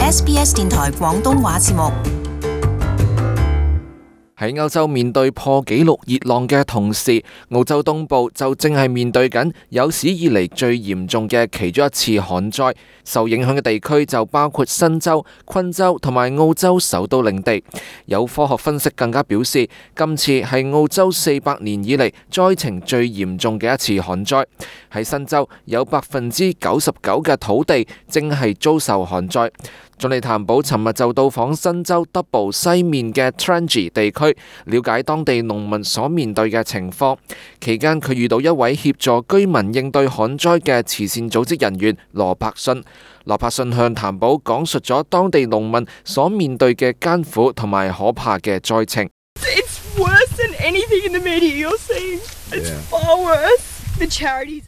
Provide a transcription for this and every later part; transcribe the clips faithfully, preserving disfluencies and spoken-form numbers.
S B S 電台廣東話節目。喺歐洲面對破紀錄熱浪嘅同時，澳洲東部就正係面對緊有史以嚟最嚴重嘅其中一次旱災。受影響嘅地區就包括新州、昆州同埋澳洲首都領地。有科學分析更加表示，今次係澳洲四百年以嚟災情最嚴重嘅一次旱災。喺新州有百分之九十九嘅土地正係遭受旱災。總理譚寶尋日就到訪新州德堡西面嘅 Trengi 地區，了解當地農民所面對嘅情況。期間佢遇到一位協助居民應對旱災嘅慈善組織人員羅柏遜。羅柏遜向譚寶講述咗當地農民所面對嘅艱苦同埋可怕嘅災情。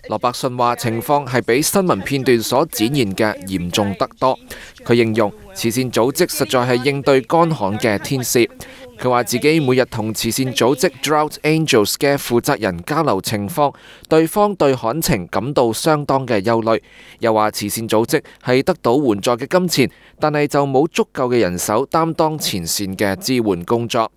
羅伯遜話情況係比新聞片段所展現嘅嚴重得多。佢形容慈善組織實在係應對乾旱嘅天使。佢話自己每日同慈善組織 Drought Angels 嘅負責人交流情況，對方對旱情感到相當嘅憂慮。又話慈善組織係得到援助嘅金錢，但係就冇足夠嘅人手擔當前線嘅支援工作。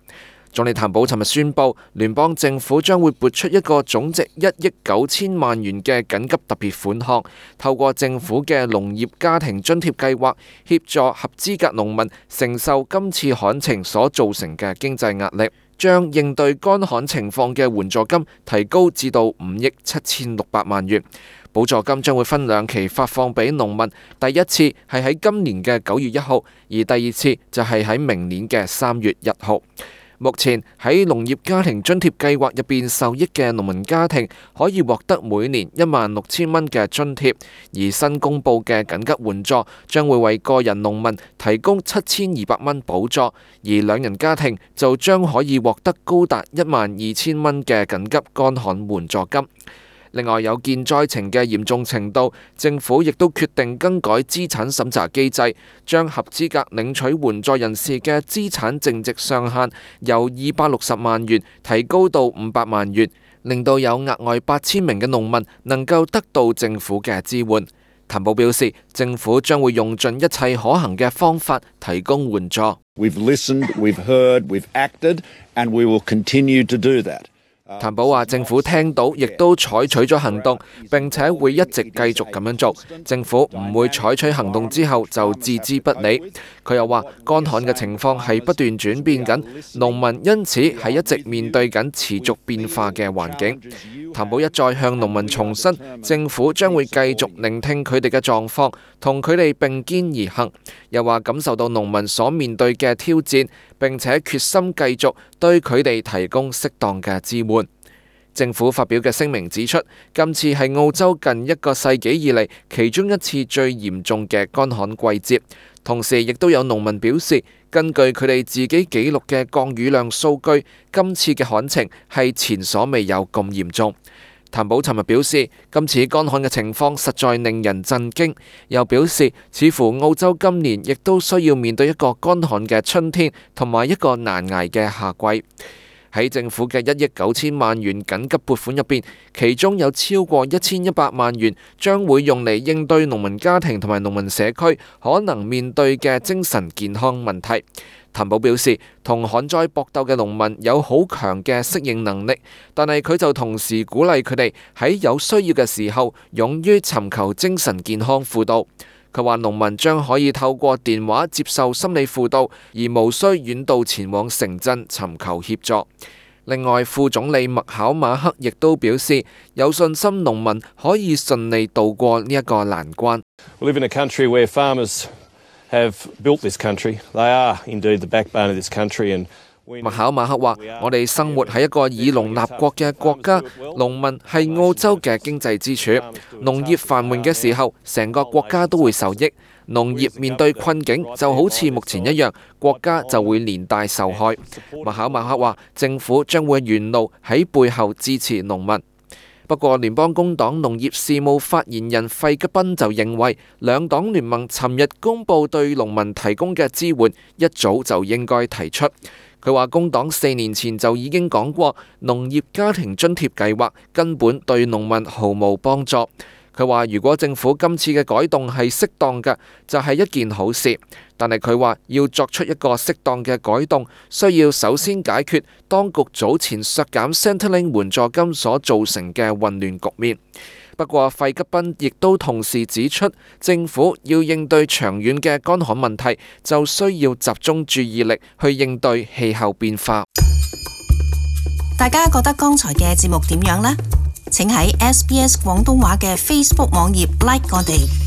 總理譚寶尋日宣布，聯邦政府將會撥出一個總值一億九千萬元嘅緊急特別款項，透過政府嘅農業家庭津貼計劃，協助合資格農民承受今次旱情所造成嘅經濟壓力，將應對乾旱情況嘅援助金提高至到五億七千六百萬元。補助金將會分兩期發放俾農民，第一次係喺今年嘅九月一號，而第二次就係喺明年嘅三月一號。目前喺農業家庭津貼計劃入邊受益嘅農民家庭可以獲得每年一萬六千蚊嘅津貼，而新公布嘅緊急援助將會為個人農民提供七千二百蚊補助，而兩人家庭就將可以獲得高達一萬二千蚊嘅緊急乾旱援助金。另外，有見災情嘅嚴重程度，政府亦都決定更改資產審查機制，將合資格領取援助人士嘅資產淨值上限由二百六十萬元提高到五百萬元，令到有額外八千名嘅農民能夠得到政府嘅支援。譚寶表示，政府將會用盡一切可行嘅方法提供援助。We've listened, we've heard, we've acted, and we will continue to do that. 譚寶話政府聽到亦都採取咗行動，並且會一直繼續咁樣做。政府唔會採取行動之後就置之不理。佢又話乾旱嘅情況係不斷轉變緊，農民因此係一直面對緊持續變化嘅環境。譚寶一再向農民重申，政府將會繼續聆聽佢哋嘅狀況，同佢哋並肩而行。又話感受到農民所面對嘅挑戰，並且決心繼續對佢哋提供適當嘅支援。政府發表嘅聲明指出，今次係澳洲近一個世紀以嚟其中一次最嚴重嘅乾旱季節。同時，亦都有農民表示，根據佢哋自己記錄嘅降雨量數據，今次嘅旱情係前所未有咁嚴重。譚寶尋日表示，今次乾旱嘅情況實在令人震驚，又表示似乎澳洲今年亦都需要面對一個乾旱嘅春天同埋一個難捱嘅夏季。喺政府嘅一億九千萬元緊急撥款入邊，其中有超過一千一百萬元將會用嚟應對農民家庭同埋農民社區可能面對嘅精神健康問題。譚寶表示，同旱災搏鬥嘅農民有好強嘅適應能力，但係佢就同時鼓勵佢哋喺有需要嘅時候勇於尋求精神健康輔導。佢話農民將可以透過電話接受心理輔導，而無需遠道前往城鎮尋求協助。另外，副總理麥考馬克亦都表示有信心農民可以順利渡過呢一個難關。We live in a country where farmers have built this country. They are indeed the backbone of this country. And 麥考馬克話：我哋生活喺一個以農立國嘅國家，農民係澳洲嘅經濟支柱。農業繁榮嘅時候，成個國家都會受益；農業面對困境，就好似目前一樣，國家就會連帶受害。麥考馬克話：政府將會沿路喺背後支持農民。不過，聯邦工黨農業事務發言人費吉賓就認為，兩黨聯盟尋日公佈對農民提供嘅支援，一早就應該提出。佢話工黨四年前就已經講過，農業家庭津貼計劃根本對農民毫無幫助。佢話如果政府今次嘅改動係適當嘅，就係一件好事。但係佢話要作出一個適當嘅改動，需要首先解決當局早前削減 Centrelink 援助金所造成嘅混亂局面。不過費吉賓亦都同時指出，政府要應對長遠嘅乾旱問題，就需要集中注意力去應對氣候變化。大家覺得剛才嘅節目點樣呢？請喺 S B S 廣東話嘅 Facebook 網頁 like 我哋。